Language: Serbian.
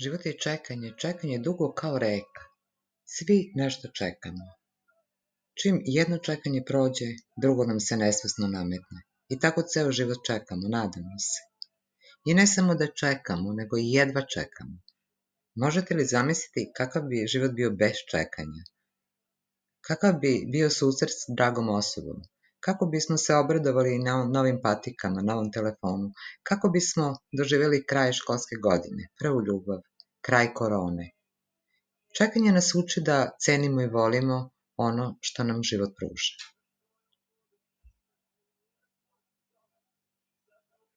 Život je čekanje, čekanje dugo kao reka. Svi nešto čekamo. Čim jedno čekanje prođe, drugo nam se nesvesno nametne. I tako ceo život čekamo, nadamo se. I ne samo da čekamo, nego i jedva čekamo. Možete li zamisliti kakav bi život bio bez čekanja? Kakav bi bio susret s dragom osobom? Kako bismo se obradovali na novim patikama, novom telefonu? Kako bismo doživjeli kraj školske godine, prvu ljubav, kraj korone? Čekanje nas uči da cenimo i volimo ono što nam život pruža.